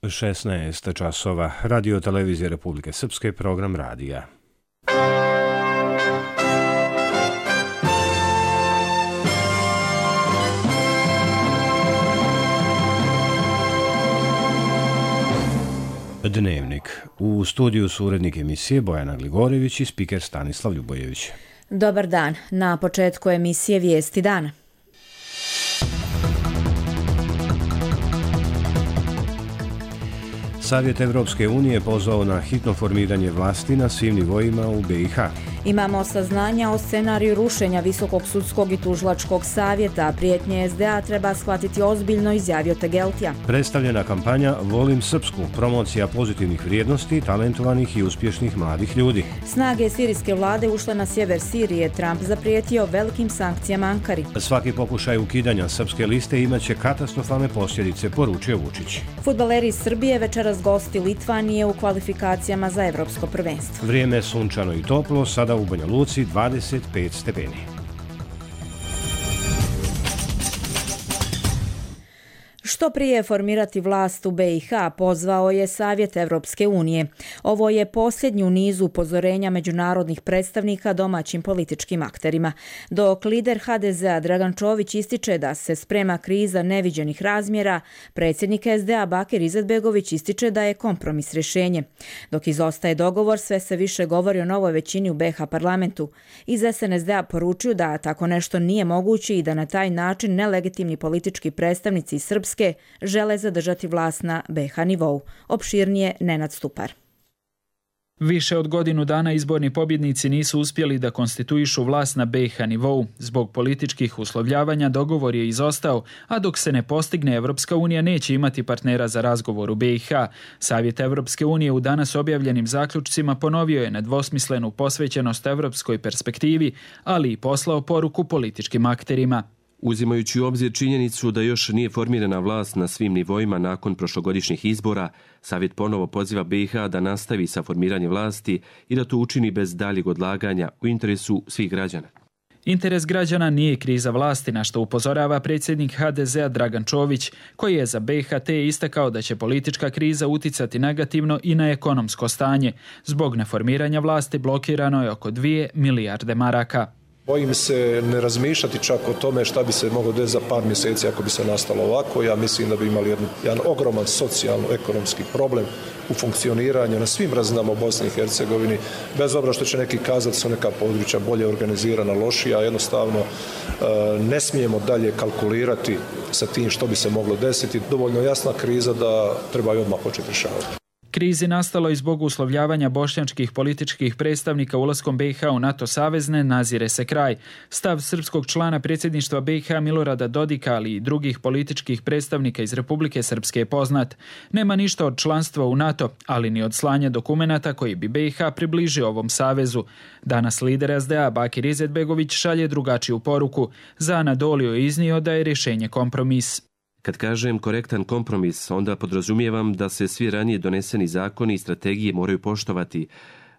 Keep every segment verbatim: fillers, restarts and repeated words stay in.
šesnaest časova. Radio televizije Republike Srpske, program radija. Dnevnik. U studiju su urednik emisije Bojana Gligorević i spiker Stanislav Ljubojević. Dobar dan. Na početku emisije Vijesti dana. Savjet Evropske unije pozvao na hitno formiranje vlasti na svim nivoima u B i H. Imamo saznanja o scenariju rušenja Visokog sudskog i tužilačkog savjeta. Prijetnje es de a treba shvatiti ozbiljno, izjavio Tegeltija. Predstavljena kampanja Volim Srpsku, promocija pozitivnih vrijednosti, talentovanih i uspješnih mladih ljudi. Snage sirijske vlade ušle na sjever Sirije. Trump zaprijetio velikim sankcijama Ankari. Svaki pokušaj ukidanja srpske liste imaće katastrofalne posljedice, poručio Vučić. Fudbaleri iz Srbije večeras gosti Litvanije u kvalifikacijama za evropsko prvenstvo. Vrijeme je sunčano i toplo, sada u Banja Luci dvadeset pet stepeni. Što prije formirati vlast u B i H pozvao je Savjet Evropske unije. Ovo je posljednji u nizu upozorenja međunarodnih predstavnika domaćim političkim akterima. Dok lider ha de ze a Dragan Čović ističe da se sprema kriza neviđenih razmjera, predsjednik es de a Bakir Izetbegović ističe da je kompromis rješenje. Dok izostaje dogovor, sve se više govori o novoj većini u be ha parlamentu. Iz es en es de a poručuju da tako nešto nije moguće i da na taj način nelegitimni politički predstavnici iz Srpske žele zadržati vlast na be ha nivou. Opširnije Nenad Stupar. Više od godinu dana izborni pobjednici nisu uspjeli da konstituišu vlast na be ha nivou. Zbog političkih uslovljavanja dogovor je izostao, a dok se ne postigne, Evropska unija neće imati partnera za razgovor u be i ha. Savjet Evropske unije u danas objavljenim zaključcima ponovio je nedvosmislenu posvećenost evropskoj perspektivi, ali i poslao poruku političkim akterima. Uzimajući u obzir činjenicu da još nije formirana vlast na svim nivoima nakon prošlogodišnjih izbora, Savjet ponovo poziva be i ha da nastavi sa formiranjem vlasti i da to učini bez daljeg odlaganja u interesu svih građana. Interes građana nije kriza vlasti, na što upozorava predsjednik ha de ze a Dragan Čović, koji je za be i ha te istakao da će politička kriza uticati negativno i na ekonomsko stanje. Zbog neformiranja vlasti blokirano je oko dvije milijarde maraka. Bojim se ne razmišljati čak o tome šta bi se moglo desiti za par mjeseci ako bi se nastalo ovako. Ja mislim da bi imali jedan, jedan ogroman socijalno-ekonomski problem u funkcioniranju na svim razinama u Bosni i Hercegovini, bez obzira što će neki kazati su neka područja bolje organizirana, lošija. Jednostavno ne smijemo dalje kalkulirati sa tim što bi se moglo desiti. Dovoljno jasna kriza da treba i odmah početi rješavati. Krizi nastalo i zbog uslovljavanja bošnjačkih političkih predstavnika ulaskom be i ha u NATO savezne nazire se kraj. Stav srpskog člana predsjedništva be i ha Milorada Dodika, ali i drugih političkih predstavnika iz Republike Srpske je poznat. Nema ništa od članstva u NATO, ali ni od slanja dokumenata koji bi be i ha približio ovom savezu. Danas lider es de a Bakir Izetbegović šalje drugačiju poruku. Za Anadoliju je iznio da je rješenje kompromis. Kad kažem korektan kompromis, onda podrazumijevam da se svi ranije doneseni zakoni i strategije moraju poštovati,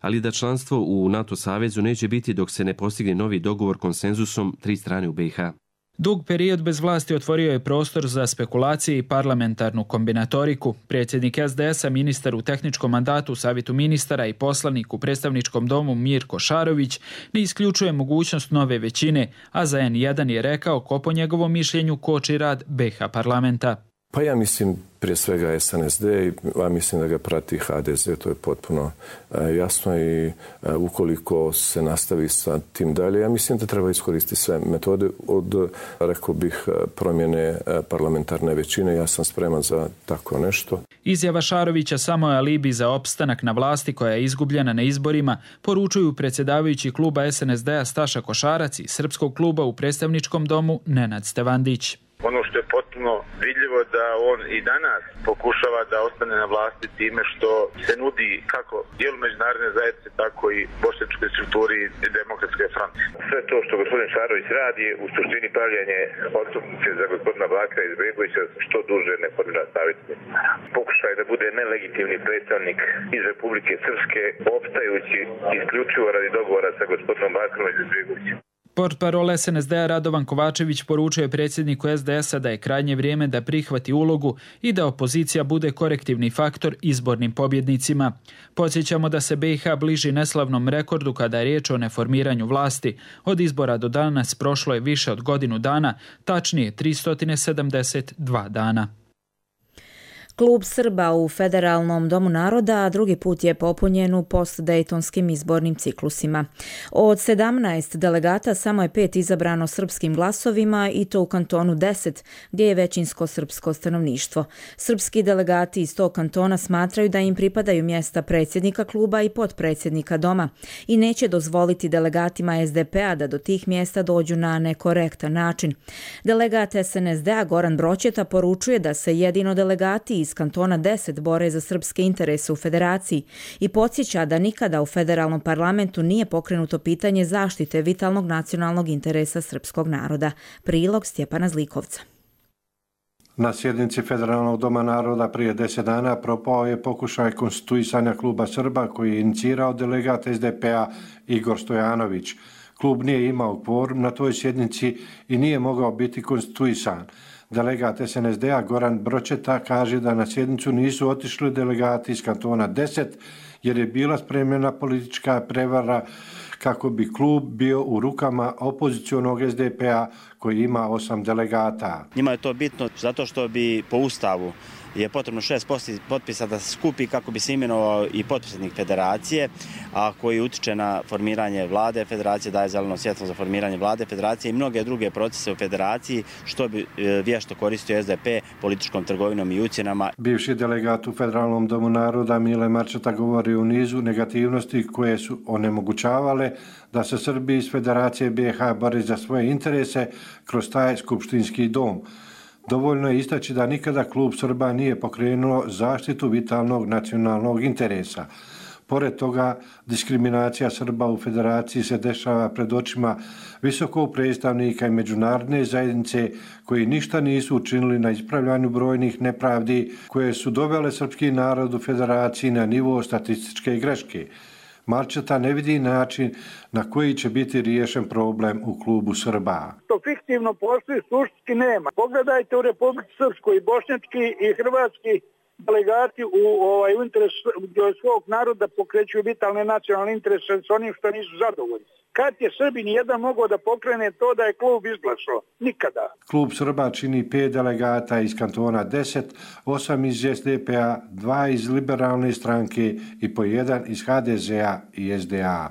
ali da članstvo u NATO savezu neće biti dok se ne postigne novi dogovor konsenzusom tri strane u be i ha. Dug period bez vlasti otvorio je prostor za spekulacije i parlamentarnu kombinatoriku. Predsjednik es de es a, ministar u tehničkom mandatu, savjetu ministara i poslanik u predstavničkom domu Mirko Šarović ne isključuje mogućnost nove većine, a za en jedan je rekao ko po njegovom mišljenju koči rad be ha parlamenta. Pa ja mislim prije svega es en es de, a mislim da ga prati ha de ze, to je potpuno e, jasno i e, ukoliko se nastavi sa tim dalje, ja mislim da treba iskoristiti sve metode od, rekao bih, promjene parlamentarne većine. Ja sam spreman za tako nešto. Izjava Šarovića samo je alibi za opstanak na vlasti koja je izgubljena na izborima, poručuju predsjedavajući kluba es en es de a Staša Košarac i srpskog kluba u predstavničkom domu Nenad Stevandić. Ono što je potpuno vidljivo da on i danas pokušava da ostane na vlasti time što se nudi kako dijelu međunarodne zajednice, tako i bošnjačkoj strukturi Demokratske fronte. Sve to što gospodin Šarović radi u suštini pravljanje odstupnice za gospodina Bakira Izetbegovića što duže ne formira savjet ministara. Pokušaj da bude nelegitimni predstavnik iz Republike Srpske, opstajući isključivo radi dogovora sa gospodinom Bakirom Izetbegovićem. Portparol S N S D-a Radovan Kovačević poručio je predsjedniku S D S-a da je krajnje vrijeme da prihvati ulogu i da opozicija bude korektivni faktor izbornim pobjednicima. Podsjećamo da se B i H bliži neslavnom rekordu kada je riječ o neformiranju vlasti. Od izbora do danas prošlo je više od godinu dana, tačnije tristo sedamdeset dva dana. Klub Srba u Federalnom domu naroda drugi put je popunjen u postdejtonskim izbornim ciklusima. Od sedamnaest delegata samo je pet izabrano srpskim glasovima i to u kantonu deset, gdje je većinsko srpsko stanovništvo. Srpski delegati iz tog kantona smatraju da im pripadaju mjesta predsjednika kluba i potpredsjednika doma i neće dozvoliti delegatima S D P-a da do tih mjesta dođu na nekorektan način. Delegat S N S D-a Goran Broćeta poručuje da se jedino delegati iz kantona deset bore za srpske interese u federaciji i podsjeća da nikada u federalnom parlamentu nije pokrenuto pitanje zaštite vitalnog nacionalnog interesa srpskog naroda. Prilog Stjepana Zlikovca. Na sjednici Federalnog doma naroda prije deset dana propao je pokušaj konstituisanja kluba Srba koji je inicirao delegat S D P-a Igor Stojanović. Klub nije imao kvorum na toj sjednici i nije mogao biti konstituisan. Delegat S N S D-a Goran Broćeta kaže da na sjednicu nisu otišli delegati iz kantona deset jer je bila spremljena politička prevara kako bi klub bio u rukama opozicionog S D P-a koji ima osam delegata. Njima je to bitno zato što bi po ustavu je potrebno šest potpisa da se skupi kako bi se imenovao i potpredsjednik federacije, a koji utiče na formiranje vlade federacije, daje zeleno svjetlo za formiranje vlade federacije i mnoge druge procese u federaciji, što bi vješto koristio S D P političkom trgovinom i ucjenama. Bivši delegat u Federalnom domu naroda Mile Marčeta govori o nizu negativnosti koje su onemogućavale da se Srbi iz Federacije B i H bore za svoje interese kroz taj skupštinski dom. Dovoljno je istaći da nikada klub Srba nije pokrenuo zaštitu vitalnog nacionalnog interesa. Pored toga, diskriminacija Srba u federaciji se dešava pred očima visokog predstavnika i međunarodne zajednice koji ništa nisu učinili na ispravljanju brojnih nepravdi koje su dovele srpski narod u federaciji na nivo statističke greške. Marčeta ne vidi način na koji će biti riješen problem u klubu Srba. To fiktivno postoji, suštinski nema. Pogledajte u Republici Srpskoj i bošnjački i hrvatski delegati u ovaj interes svog naroda pokreću vitalne nacionalne interese s onim što nisu zadovoljni. Kad je Srbi nijedan mogao da pokrene to da je klub izglasao? Nikada. Klub Srba čini pet delegata iz kantona deset, osam iz S D P-a, dva iz liberalne stranke i po jedan iz H D Z-a i S D A.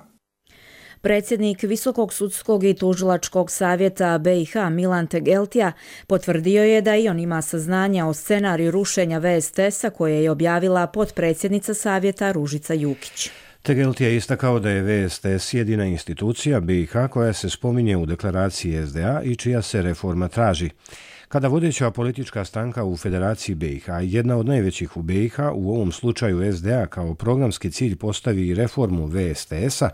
Predsjednik Visokog sudskog i tužilačkog savjeta B i H Milan Tegeltija potvrdio je da i on ima saznanja o scenariju rušenja V S T S-a koje je objavila potpredsjednica savjeta Ružica Jukić. Tegeltija je istakao da je V S T S jedina institucija B i H koja se spominje u deklaraciji S D A i čija se reforma traži. Kada vodeća politička stranka u Federaciji B i H, jedna od najvećih u B i H, u ovom slučaju S D A kao programski cilj postavi reformu V S T S-a,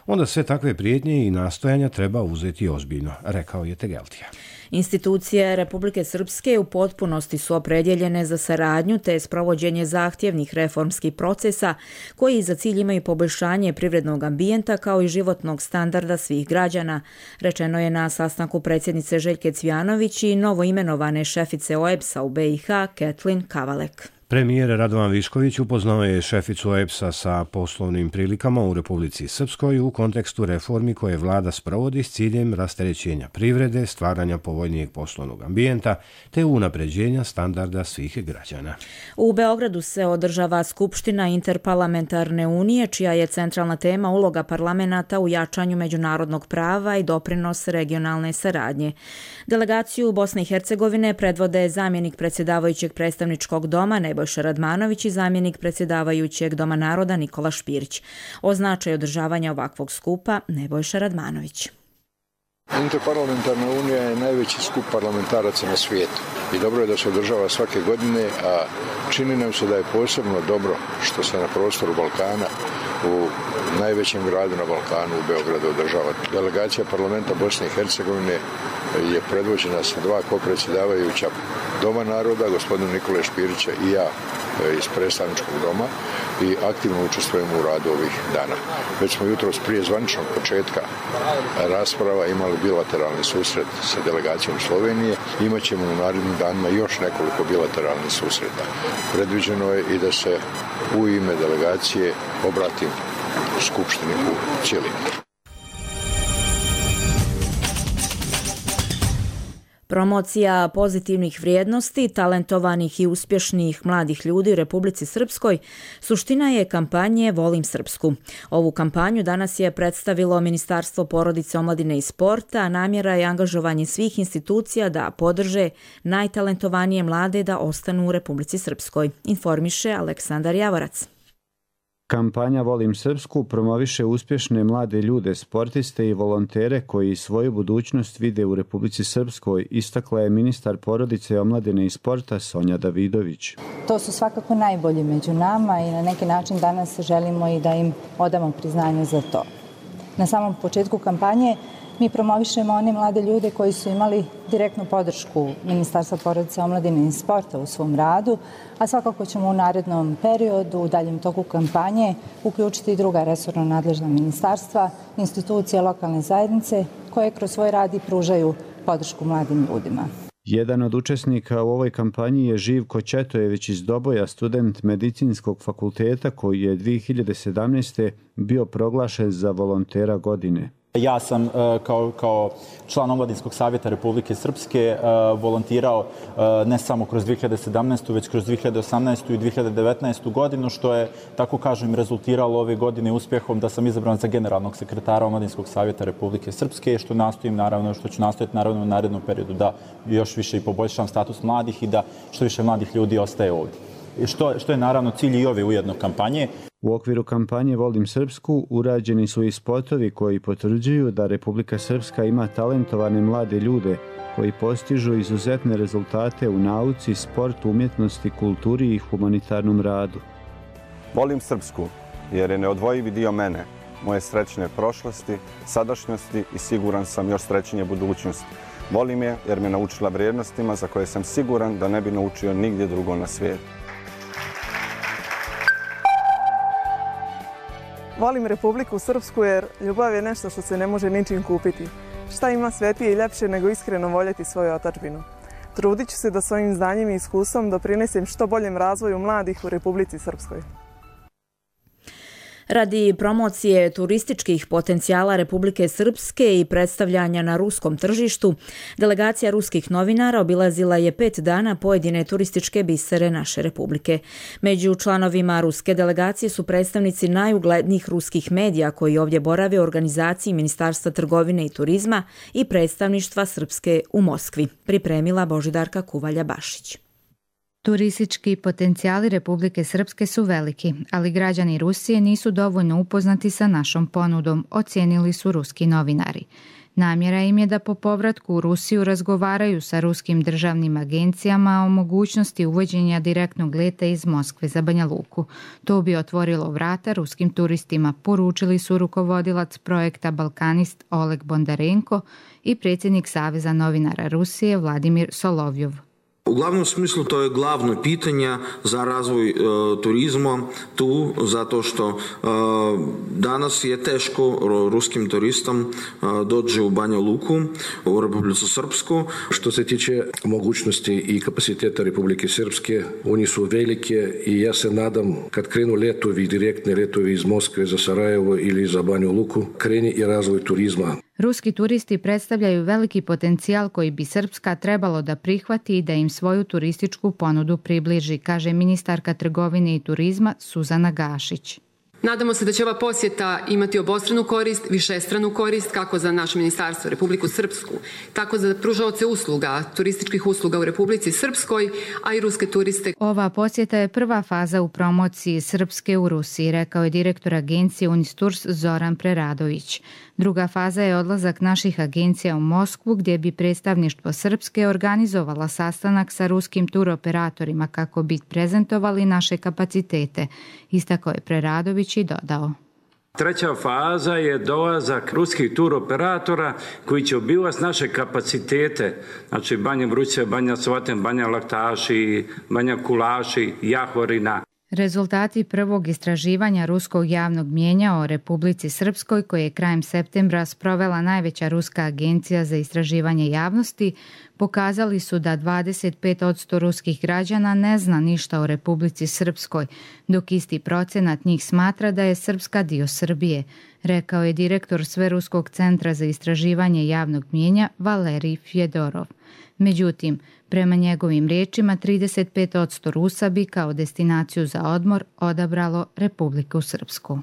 onda sve takve prijetnje i nastojanja treba uzeti ozbiljno, rekao je Tegeltija. Institucije Republike Srpske u potpunosti su opredjeljene za saradnju te sprovođenje zahtjevnih reformskih procesa koji za cilj imaju poboljšanje privrednog ambijenta kao i životnog standarda svih građana, rečeno je na sastanku predsjednice Željke Cvijanović i novoimenovane šefice O E B S-a u B i H Kathleen Kavalek. Premijer Radovan Višković upoznao je šeficu O E B S-a sa poslovnim prilikama u Republici Srpskoj u kontekstu reformi koje vlada sprovodi s ciljem rasterećenja privrede, stvaranja povoljnijeg poslovnog ambijenta te unapređenja standarda svih građana. U Beogradu se održava Skupština Interparlamentarne unije, čija je centralna tema uloga parlamenta u jačanju međunarodnog prava i doprinos regionalne saradnje. Delegaciju Bosne i Hercegovine predvode zamjenik predsjedavajućeg predstavničkog doma Nebojša Radmanović i zamjenik predsjedavajućeg Doma naroda Nikola Špirić. O značaju održavanja ovakvog skupa Nebojša Radmanović. Interparlamentarna unija je najveći skup parlamentaraca na svijetu i dobro je da se održava svake godine, a čini nam se da je posebno dobro što se na prostoru Balkana u najvećem gradu na Balkanu u Beogradu održava. Delegacija parlamenta Bosne i Hercegovine je predvođena sa dva kopredsjedavajuća Doma naroda, gospodina Nikole Špirića i ja iz predstavničkog doma i aktivno učestvujemo u radu ovih dana. Već smo jutros prije zvaničnog početka rasprava imali bilateralni susret sa delegacijom Slovenije. Imaćemo u narednim danima još nekoliko bilateralnih susreta. Predviđeno je i da se u ime delegacije obratim Skupštini u cijelini. Promocija pozitivnih vrijednosti, talentovanih i uspješnih mladih ljudi u Republici Srpskoj suština je kampanje Volim Srpsku. Ovu kampanju danas je predstavilo Ministarstvo porodice, omladine i sporta, a namjera je angažovanje svih institucija da podrže najtalentovanije mlade da ostanu u Republici Srpskoj, informiše Aleksandar Javorac. Kampanja Volim Srpsku promoviše uspješne mlade ljude, sportiste i volontere koji svoju budućnost vide u Republici Srpskoj, istakla je ministar porodice, omladine i sporta Sonja Davidović. To su svakako najbolji među nama i na neki način danas želimo i da im odamo priznanje za to. Na samom početku kampanje mi promovišemo one mlade ljude koji su imali direktnu podršku Ministarstva porodice, omladine i sporta u svom radu, a svakako ćemo u narednom periodu, u daljem toku kampanje, uključiti i druga resorno nadležna ministarstva, institucije lokalne zajednice koje kroz svoj rad i pružaju podršku mladim ljudima. Jedan od učesnika u ovoj kampanji je Živko Četojević iz Doboja, student medicinskog fakulteta koji je dvije hiljade sedamnaeste. bio proglašen za volontera godine. Ja sam kao, kao član Omladinskog savjeta Republike Srpske volontirao ne samo kroz dvije hiljade sedamnaestu. već kroz dvije hiljade osamnaestu. i dvije hiljade devetnaestu. godinu, što je, tako kažem, rezultiralo ove godine uspjehom da sam izabran za generalnog sekretara Omladinskog savjeta Republike Srpske, što nastojim naravno, što ću nastojati naravno u narednom periodu da još više i poboljšam status mladih i da što više mladih ljudi ostaje ovdje. Što, što je naravno cilj i ove ujedno kampanje. U okviru kampanje Volim Srpsku urađeni su i spotovi koji potvrđuju da Republika Srpska ima talentovane mlade ljude koji postižu izuzetne rezultate u nauci, sportu, umjetnosti, kulturi i humanitarnom radu. Volim Srpsku jer je neodvojivi dio mene, moje srećne prošlosti, sadašnjosti i siguran sam još srećnije budućnosti. Volim je jer me naučila vrijednostima za koje sam siguran da ne bi naučio nigdje drugo na svijetu. Volim Republiku Srpsku jer ljubav je nešto što se ne može ničim kupiti. Šta ima svetije i ljepše nego iskreno voljeti svoju otadžbinu? Trudit ću se da svojim znanjem i iskustvom doprinesem što boljem razvoju mladih u Republici Srpskoj. Radi promocije turističkih potencijala Republike Srpske i predstavljanja na ruskom tržištu, delegacija ruskih novinara obilazila je pet dana pojedine turističke bisere naše Republike. Među članovima ruske delegacije su predstavnici najuglednijih ruskih medija koji ovdje borave u organizaciji Ministarstva trgovine i turizma i predstavništva Srpske u Moskvi, pripremila Božidarka Kuvalja-Bašić. Turistički potencijali Republike Srpske su veliki, ali građani Rusije nisu dovoljno upoznati sa našom ponudom, ocijenili su ruski novinari. Namjera im je da po povratku u Rusiju razgovaraju sa ruskim državnim agencijama o mogućnosti uvođenja direktnog leta iz Moskve za Banja Luku. To bi otvorilo vrata ruskim turistima, poručili su rukovodilac projekta Balkanist Oleg Bondarenko i predsjednik Saveza novinara Rusije Vladimir Solovjov. U glavnom smislu to je glavno pitanje za razvoj e, turizma tu, zato što e, danas je teško ruskim turistom e, doći u Banja Luku, u Republiku Srpsku. Što se tiče mogućnosti i kapaciteta Republike Srpske, oni su velike i ja se nadam kad krenu letovi, direktni letovi iz Moskve za Sarajevo ili za Banju Luku, kreni i razvoj turizma. Ruski turisti predstavljaju veliki potencijal koji bi Srpska trebalo da prihvati i da im svoju turističku ponudu približi, kaže ministarka trgovine i turizma Suzana Gašić. Nadamo se da će ova posjeta imati obostranu korist, višestranu korist, kako za naše ministarstvo Republiku Srpsku, tako za pružaoce usluga, turističkih usluga u Republici Srpskoj, a i ruske turiste. Ova posjeta je prva faza u promociji Srpske u Rusiji, rekao je direktor agencije Unisturs Zoran Preradović. Druga faza je odlazak naših agencija u Moskvu, gdje bi predstavništvo Srpske organizovala sastanak sa ruskim turoperatorima kako bi prezentovali naše kapacitete, istakao je Preradović i dodao. Treća faza je dolazak ruskih tur operatora koji će obilaziti naše kapacitete, znači Banja Vruća, Banja Sloten, Banja Laktaši, Banja Kulaši, Jahorina. Rezultati prvog istraživanja ruskog javnog mnijenja o Republici Srpskoj, koje je krajem septembra sprovela najveća ruska agencija za istraživanje javnosti, pokazali su da dvadeset pet posto ruskih građana ne zna ništa o Republici Srpskoj, dok isti procenat njih smatra da je Srpska dio Srbije, rekao je direktor Sveruskog centra za istraživanje javnog mnijenja Valerij Fjodorov. Međutim, prema njegovim riječima, trideset pet posto Rusa bi kao destinaciju za odmor odabralo Republiku Srpsku.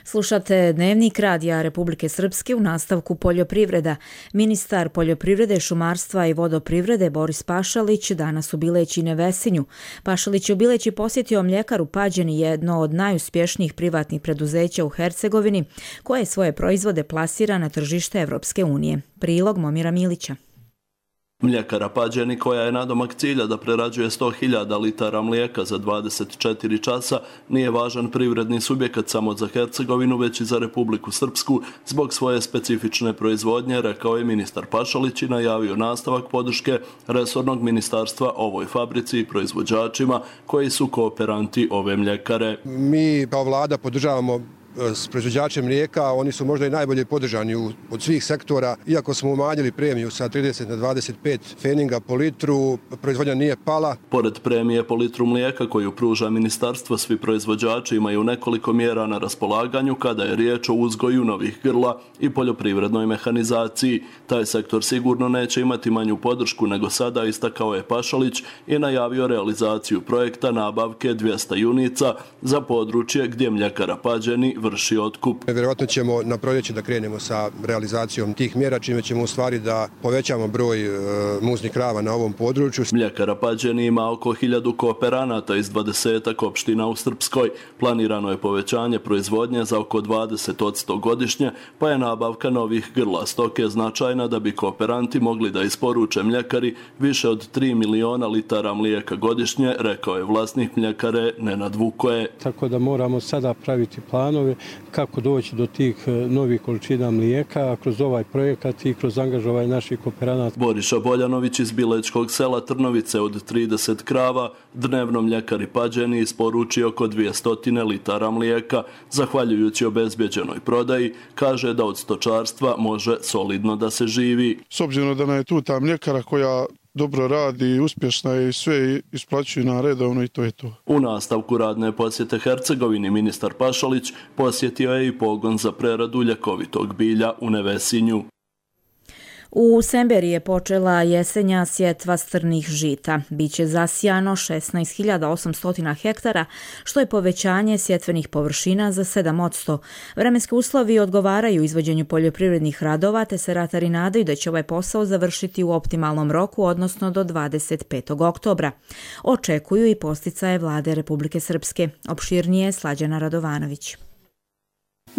Slušate Dnevnik Radija Republike Srpske u nastavku poljoprivreda. Ministar poljoprivrede, šumarstva i vodoprivrede Boris Pašalić danas u Bileći i Nevesinju. Pašalić je u Bileći posjetio mljekaru Pađeni, jedno od najuspješnijih privatnih preduzeća u Hercegovini, koje svoje proizvode plasira na tržište Evropske unije. Prilog Momira Milića. Mljekara Pađeni, koja je nadomak cilja da prerađuje sto hiljada litara mlijeka za dvadeset četiri časa, nije važan privredni subjekat samo za Hercegovinu, već i za Republiku Srpsku zbog svoje specifične proizvodnje, rekao je ministar Pašalić i najavio nastavak podrške resornog ministarstva ovoj fabrici i proizvođačima koji su kooperanti ove mljekare. Mi kao vlada podržavamo s proizvođačem mlijeka, oni su možda i najbolje podržani od svih sektora. Iako smo umanjili premiju sa trideset na dvadeset pet pfeninga po litru, proizvodnja nije pala. Pored premije po litru mlijeka koju pruža ministarstvo, svi proizvođači imaju nekoliko mjera na raspolaganju kada je riječ o uzgoju novih grla i poljoprivrednoj mehanizaciji. Taj sektor sigurno neće imati manju podršku nego sada, istakao je Pašalić i najavio realizaciju projekta nabavke dvjesto junica za područje gdje mljekara Pađeni vrši otkup. Vjerojatno ćemo na proljeće da krenemo sa realizacijom tih mjera, čime ćemo u stvari da povećamo broj e, muznih krava na ovom području. Mljekara Pađeni ima oko hiljadu kooperanata iz dvadesetak opština u Srpskoj. Planirano je povećanje proizvodnje za oko dvadeset posto godišnje, pa je nabavka novih grla stoke značajna da bi kooperanti mogli da isporuče mljekari više od tri miliona litara mlijeka godišnje, rekao je vlasnik mljekare Nenad Vukoje. Tako da moramo sada praviti planove kako doći do tih novih količina mlijeka kroz ovaj projekat i kroz angažovanje naših kooperanata. Boriša Boljanović iz Bilečkog sela Trnovice od trideset krava dnevno mljekari Pađeni isporuči oko dvjesto litara mlijeka. Zahvaljujući obezbjeđenoj prodaji, kaže da od stočarstva može solidno da se živi. S obzirom da nam je tu ta mljekara koja dobro radi, uspješna je i sve isplaćuju na redovno i to je to. U nastavku radne posjete Hercegovini ministar Pašalić posjetio je i pogon za preradu ljekovitog bilja u Nevesinju. U Semberi je počela jesenja sjetva strnih žita. Biće zasijano šesnaest hiljada osamsto hektara, što je povećanje sjetvenih površina za sedam posto. Vremenski uslovi odgovaraju izvođenju poljoprivrednih radova, te se ratari nadaju da će ovaj posao završiti u optimalnom roku, odnosno do dvadeset petog oktobra. Očekuju i posticaje vlade Republike Srpske. Opširnije Slađana Radovanović.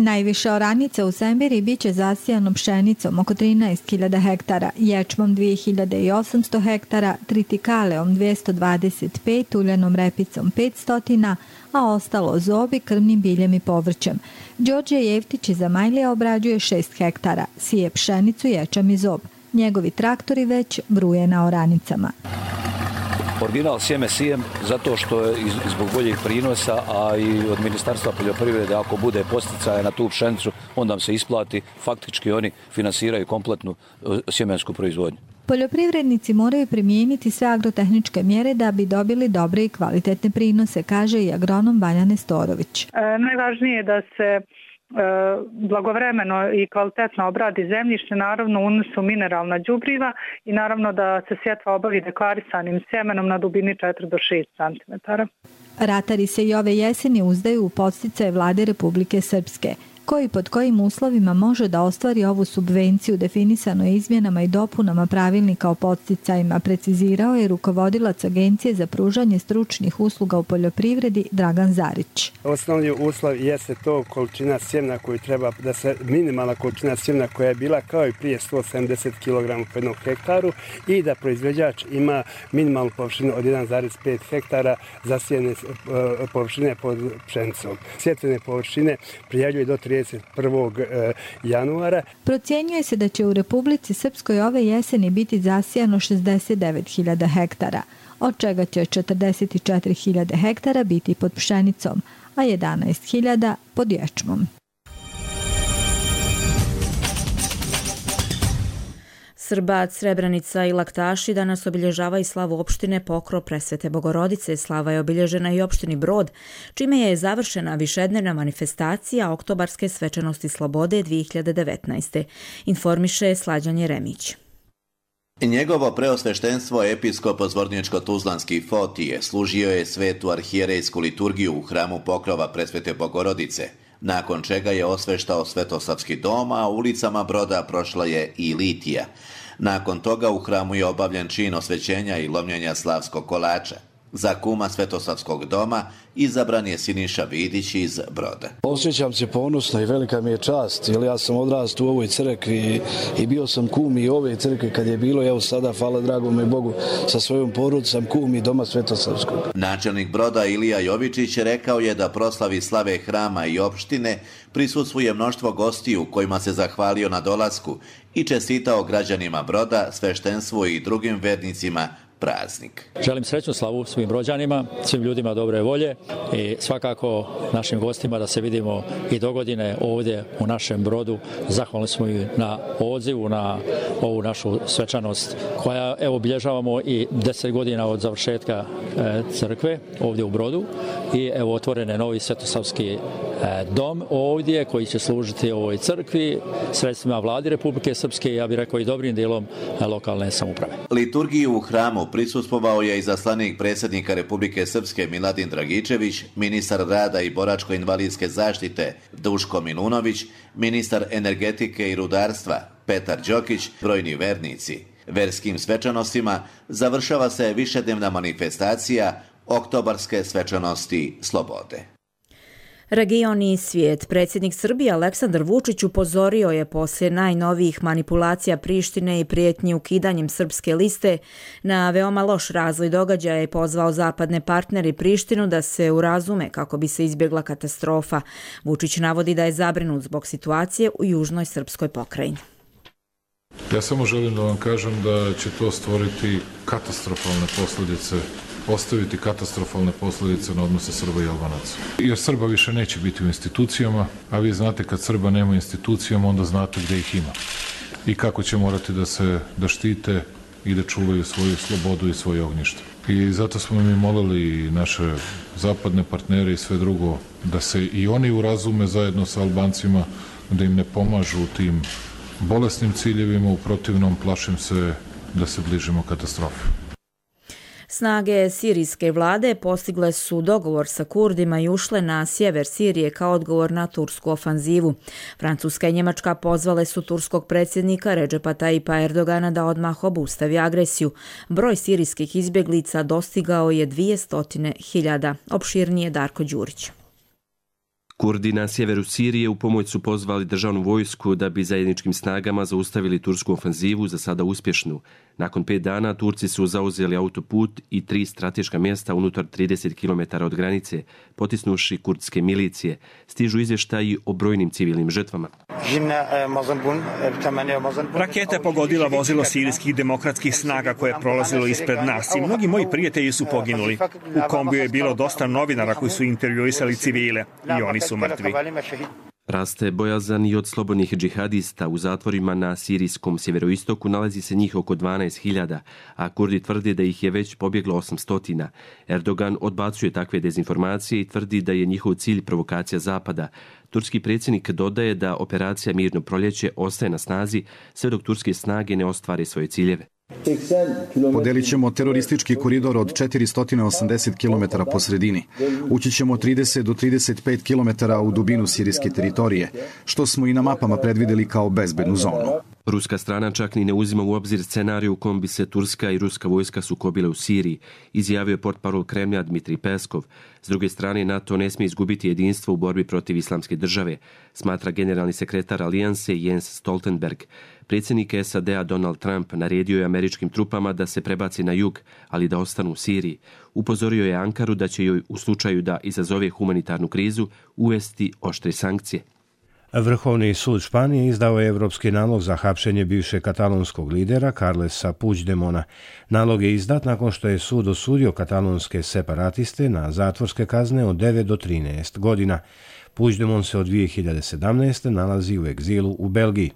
Najviše oranica u Semberi biće zasijano pšenicom oko trinaest hiljada hektara, ječmom dvije hiljade osamsto hektara, tritikaleom dvjesto dvadeset pet, uljanom repicom petsto, a ostalo zobi, krvnim biljem i povrćem. Đorđe Jevtić iz Amajlija obrađuje šest hektara, sije pšenicu, ječam i zob. Njegovi traktori već bruje na oranicama. Original sjeme sijem zato što je zbog boljih prinosa, a i od Ministarstva poljoprivrede ako bude posticaja na tu pšenicu, onda nam se isplati. Faktički oni finansiraju kompletnu sjemensku proizvodnju. Poljoprivrednici moraju primijeniti sve agrotehničke mjere da bi dobili dobre i kvalitetne prinose, kaže i agronom Vanja Nestorović. E, najvažnije je da se blagovremeno i kvalitetno obradi zemljište, naravno unosu mineralna đubriva i naravno da se sjetva obavi deklarisanim sjemenom na dubini četiri do šest centimetara. Ratari se i ove jeseni uzdaju u podsticaje vlade Republike Srpske. koji pod kojim uslovima može da ostvari ovu subvenciju definisano je izmjenama i dopunama pravilnika o podsticajima, precizirao je rukovodilac Agencije za pružanje stručnih usluga u poljoprivredi Dragan Zarić. Osnovni uslov jeste to količina sjemena koju treba, da se minimalna količina sjemena koja je bila kao i prije sto sedamdeset kilograma po jednom hektaru i da proizvođač ima minimalnu površinu od jedan zarez pet hektara zasijene površine pod pšenicom. Sjetvene površine prijavljuje do trideset prvog januara. Procjenjuje se da će u Republici Srpskoj ove jeseni biti zasijano šezdeset devet hiljada hektara, od čega će četrdeset četiri hiljade hektara biti pod pšenicom, a jedanaest hiljada pod ječmom. Srbac, Srebrenica i Laktaši danas obilježava i slavu opštine Pokrov Presvete Bogorodice. Slava je obilježena i opštini Brod, čime je završena višednevna manifestacija Oktobarske svečanosti slobode dvije hiljade devetnaeste. Informiše Slađan Jeremić. Njegovo preosveštenstvo episkop Zvorničko-Tuzlanski Fotije služio je svetu arhijerejsku liturgiju u hramu Pokrova Presvete Bogorodice, nakon čega je osveštao Svetosavski dom, a ulicama Broda prošla je i litija. Nakon toga u hramu je obavljen čin osvećenja i lomljenja slavskog kolača. Za kuma Svetosavskog doma izabran je Siniša Vidić iz Broda. Osjećam se ponosno i velika mi je čast, jer ja sam odrastao u ovoj crkvi i bio sam kum i ove crkve kad je bilo, evo sada, hvala dragome Bogu, sa svojom porodicom kum i doma Svetosavskog. Načelnik Broda Ilija Jovičić rekao je da proslavi slave hrama i opštine prisustvuje mnoštvo gostiju kojima se zahvalio na dolasku i čestitao građanima Broda, sveštenstvu i drugim vernicima praznik. Želim srećnu slavu svim Brođanima, svim ljudima dobre volje i svakako našim gostima da se vidimo i dogodine ovdje u našem Brodu. Zahvalni smo i na odzivu na ovu našu svečanost koja evo obilježavamo i deset godina od završetka e, crkve ovdje u Brodu i evo otvoren je novi Svetosavski e, dom ovdje koji će služiti ovoj crkvi sredstvima vladi Republike Srpske i ja bih rekao i dobrim dijelom e, lokalne samouprave. Liturgiju u hramu prisustvovao je i zaslanik predsjednika Republike Srpske Miladin Dragičević, ministar rada i boračko-invalidske zaštite Duško Milunović, ministar energetike i rudarstva Petar Đokić, brojni vernici. Verskim svečanostima završava se višednevna manifestacija Oktobarske svečanosti slobode. Region i svijet. Predsjednik Srbije Aleksandar Vučić upozorio je poslije najnovijih manipulacija Prištine i prijetnji ukidanjem srpske liste na veoma loš razvoj događaja i pozvao zapadne partnere Prištinu da se urazume kako bi se izbjegla katastrofa. Vučić navodi da je zabrinut zbog situacije u južnoj srpskoj pokrajini. Ja samo želim da vam kažem da će to stvoriti katastrofalne posljedice, ostaviti katastrofalne posljedice na odnose Srba i Albanaca. Jer Srba više neće biti u institucijama, a vi znate kad Srba nema u institucijama, onda znate gdje ih ima. I kako će morati da se da štite i da čuvaju svoju slobodu i svoje ognjište. I zato smo mi molili naše zapadne partnere i sve drugo da se i oni urazume zajedno sa Albancima, da im ne pomažu u tim bolesnim ciljevima, u protivnom plašim se da se bližimo katastrofi. Snage sirijske vlade postigle su dogovor sa Kurdima i ušle na sjever Sirije kao odgovor na tursku ofanzivu. Francuska i Njemačka pozvale su turskog predsjednika Redžepa Tajipa Erdogana da odmah obustavi agresiju. Broj sirijskih izbjeglica dostigao je dvjesto hiljada. Opširnije Darko Đurić. Kurdi na sjeveru Sirije u pomoć su pozvali državnu vojsku da bi zajedničkim snagama zaustavili tursku ofanzivu, za sada uspješnu. Nakon pet dana Turci su zauzeli autoput i tri strateška mjesta unutar trideset kilometara od granice, potisnuši kurdske milicije. Stižu izvještaji o brojnim civilnim žrtvama. Raketa je pogodila vozilo sirijskih demokratskih snaga koje je prolazilo ispred nas i mnogi moji prijatelji su poginuli. U kombiju je bilo dosta novinara koji su intervjuisali civile i oni su mrtvi. Raste bojazan i od slobodnih džihadista. U zatvorima na sirijskom sjeveroistoku nalazi se njih oko dvanaest hiljada, a Kurdi tvrde da ih je već pobjeglo osamsto. Erdogan odbacuje takve dezinformacije i tvrdi da je njihov cilj provokacija Zapada. Turski predsjednik dodaje da operacija Mirno proljeće ostaje na snazi sve dok turske snage ne ostvare svoje ciljeve. Podelit ćemo teroristički koridor od četiristo osamdeset kilometara po sredini. Ući ćemo trideset do trideset pet kilometara u dubinu sirijske teritorije, što smo i na mapama predvideli kao bezbednu zonu. Ruska strana čak ni ne uzima u obzir scenariju u kom bi se turska i ruska vojska sukobile u Siriji, izjavio je portparol Kremlja Dmitrij Peskov. S druge strane, NATO ne smije izgubiti jedinstvo u borbi protiv islamske države, smatra generalni sekretar alijanse Jens Stoltenberg. Predsjednik S A D-a Donald Trump naredio je američkim trupama da se prebaci na jug, ali da ostanu u Siriji. Upozorio je Ankaru da će joj u slučaju da izazove humanitarnu krizu uvesti oštre sankcije. Vrhovni sud Španije izdao je evropski nalog za hapšenje bivšeg katalonskog lidera Carlesa Puigdemona. Nalog je izdat nakon što je sud osudio katalonske separatiste na zatvorske kazne od devet do trinaest godina. Puigdemon se od dvije hiljade sedamnaeste. nalazi u egzilu u Belgiji.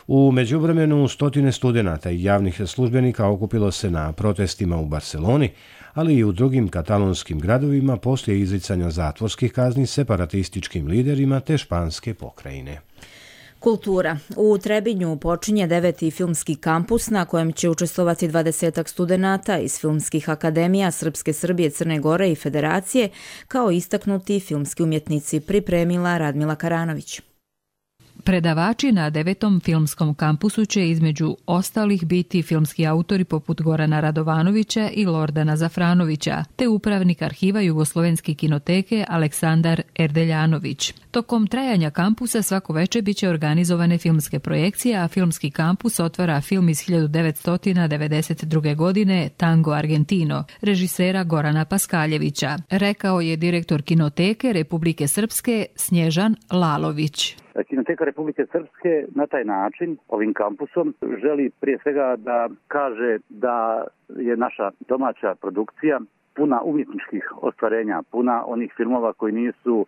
U međuvremenu stotine studenata i javnih službenika okupilo se na protestima u Barceloni, ali i u drugim katalonskim gradovima poslije izricanja zatvorskih kazni separatističkim liderima te španske pokrajine. Kultura. U Trebinju počinje deveti filmski kampus na kojem će učestvovati dvadesetak studenata iz filmskih akademija Srpske Srbije, Crne Gore i Federacije, kao istaknuti filmski umjetnici, pripremila Radmila Karanović. Predavači na devetom filmskom kampusu će između ostalih biti filmski autori poput Gorana Radovanovića i Lordana Zafranovića, te upravnik arhiva Jugoslovenske kinoteke Aleksandar Erdeljanović. Tokom trajanja kampusa svako veče biće organizovane filmske projekcije, a filmski kampus otvara film iz hiljadu devetsto devedeset druge. godine Tango Argentino, režisera Gorana Paskaljevića, rekao je direktor Kinoteke Republike Srpske Snježan Lalović. Kinoteka Republike Srpske na taj način, ovim kampusom, želi prije svega da kaže da je naša domaća produkcija puna umjetničkih ostvarenja, puna onih filmova koji nisu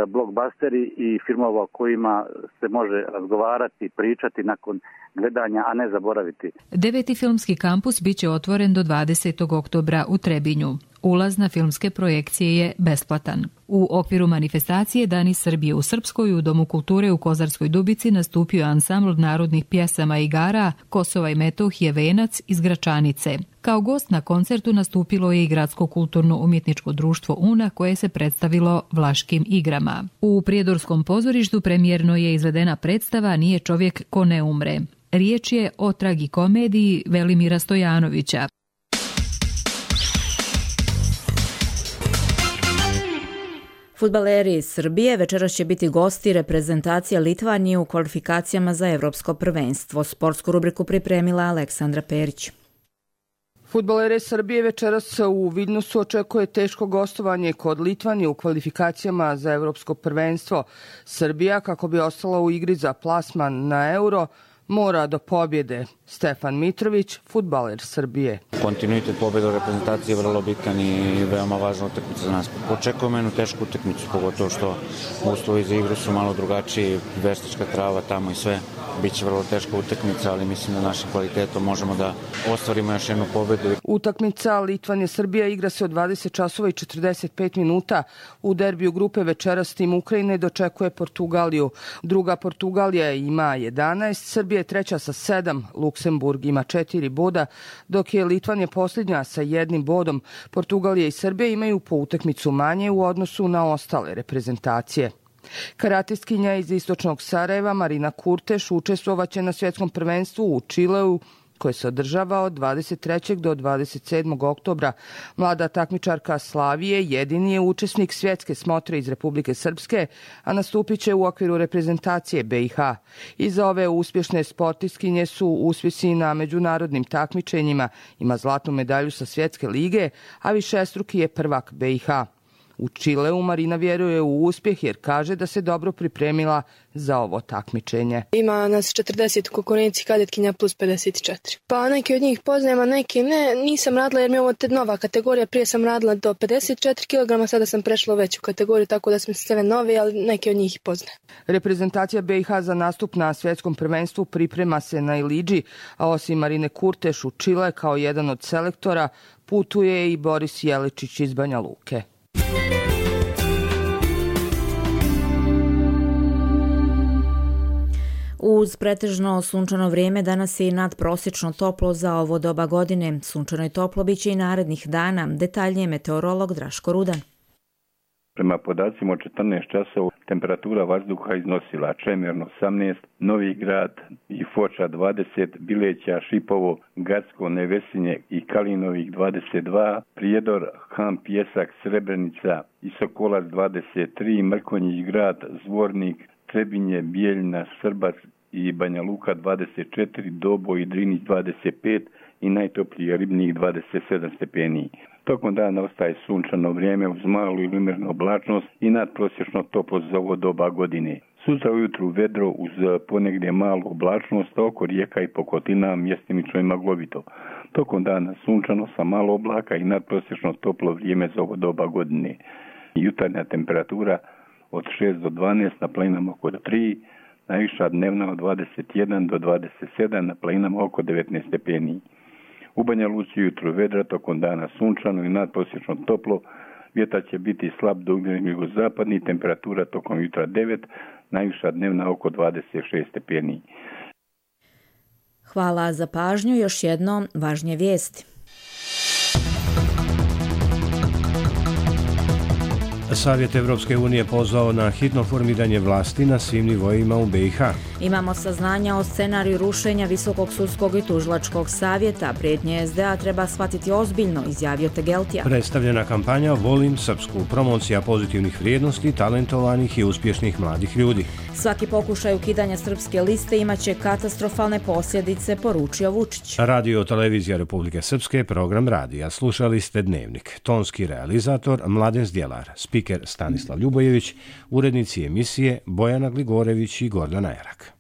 blockbusteri i filmova o kojima se može razgovarati, pričati nakon gledanja, a ne zaboraviti. Deveti filmski kampus biće otvoren do dvadesetog oktobra u Trebinju. Ulaz na filmske projekcije je besplatan. U okviru manifestacije Dani Srbije u Srpskoj u Domu kulture u Kozarskoj Dubici nastupio je ansambl narodnih pjesama i igara Kosova i Metohije Venac iz Gračanice. Kao gost na koncertu nastupilo je i Gradsko kulturno-umjetničko društvo Una koje se predstavilo Vlaškim igrama. U Prijedorskom pozorištu premijerno je izvedena predstava Nije čovjek ko ne umre. Riječ je o tragikomediji Velimira Stojanovića. Fudbaleri iz Srbije večeras će biti gosti reprezentacija Litvanije u kvalifikacijama za Evropsko prvenstvo. Sportsku rubriku pripremila Aleksandra Perić. Fudbalere Srbije večeras u Vilnusu očekuje teško gostovanje kod Litvanije u kvalifikacijama za Evropsko prvenstvo. Srbija, kako bi ostala u igri za plasman na Euro, mora do pobjede. Stefan Mitrović, fudbaler Srbije. Kontinuitet pobjede u reprezentaciji je vrlo bitan i veoma važna utakmica za nas. Očekujemo jednu tešku utakmicu, pogotovo što uslovi za igru su malo drugačiji, veštačka trava tamo i sve. Biće vrlo teška utakmica, ali mislim da našim kvalitetom možemo da ostvarimo još jednu pobjedu. Utakmica Litvanija-Srbija igra se od dvadeset časova i četrdeset pet minuta. U derbiju grupe večeras tim Ukrajine dočekuje Portugaliju. Druga Portugalija ima jedanaest, Srbija je treća sa sedam, Luksemburg ima četiri boda, dok je Litvanija posljednja sa jednim bodom. Portugalija i Srbija imaju po utakmicu manje u odnosu na ostale reprezentacije. Karatistkinja iz istočnog Sarajeva Marina Kurteš učestvovaće na svjetskom prvenstvu u Čileu koje se održava od dvadeset trećeg do dvadeset sedmog oktobra. Mlada takmičarka Slavije jedini je učesnik svjetske smotre iz Republike Srpske, a nastupit će u okviru reprezentacije B i H. Iza ove uspješne sportistkinje su uspjesi na međunarodnim takmičenjima, ima zlatnu medalju sa svjetske lige, a višestruki je prvak B i H. U Čileu Marina vjeruje u uspjeh jer kaže da se dobro pripremila za ovo takmičenje. Ima nas četrdeset u konkurenciji, kadetkinja plus pedeset četiri. Pa neki od njih poznajem, a neki ne. Nisam radila jer mi je ovo te nova kategorija. Prije sam radila do pedeset četiri kilograma, sada sam prešla u veću kategoriju, tako da smo sve nove, ali neki od njih poznajem. Reprezentacija B i H za nastup na svjetskom prvenstvu priprema se na Ilidži, a osim Marine Kurteš u Čile kao jedan od selektora putuje i Boris Jeličić iz Banja Luke. Uz pretežno sunčano vrijeme danas je i nadprosječno toplo za ovo doba godine. Sunčano i toplo biće i narednih dana. Detaljnije meteorolog Draško Rudan. Prema podacima od četrnaest časova temperatura vazduha iznosila Čemerno osamnaest, Novi Grad i Foča dvadeset, Bileća, Šipovo, Gacko, Nevesinje i Kalinovih dvadeset dva, Prijedor, Han, Pjesak, Srebrenica i Sokolac dvadeset tri, Mrkonjić Grad, Zvornik, Trebinje, Bijeljina, Srbac i Banja Luka dvadeset četiri, Doboj i Drinić dvadeset pet i najtopliji Ribnik dvadeset sedam stepeni. Tokom dana ostaje sunčano vrijeme uz malu ili umjerenu oblačnost i nadprosječno toplo za ovo doba godine. Sutra ujutru vedro uz ponegdje malu oblačnost, oko rijeka i Pokotina mjestimično i maglovito. Tokom dana sunčano sa malo oblaka i nadprosječno toplo vrijeme za ovo doba godine. Jutarnja temperatura od šest do dvanaest, na planinama oko tri, najviša dnevna od dvadeset jedan do dvadeset sedam, na planinama oko devetnaest stepeni. U Banja Luci jutro vedra, tokom dana sunčano i nadprosječno toplo, vjetar će biti slab do umjeren jugozapadni, temperatura tokom jutra devet, najviša dnevna oko dvadeset šest stepeni. Hvala za pažnju, još jednom važnije vijesti. Savjet Evropske unije pozvao na hitno formiranje vlasti na svim nivoima u be i ha. Imamo saznanja o scenariju rušenja Visokog sudskog i tužilačkog savjeta. Prijetnje es de a treba shvatiti ozbiljno, izjavio Tegeltija. Predstavljena kampanja Volim Srpsku, promocija pozitivnih vrijednosti, talentovanih i uspješnih mladih ljudi. Svaki pokušaj ukidanja srpske liste imaće katastrofalne posljedice, poručio Vučić. Radio Televizija Republike Srpske, program radija. Slušali ste Dnevnik. Tonski realizator Mladen Zdjelar, spiker Stanislav Ljubojević, urednici emisije Bojana Gligorević i Gordana Erak.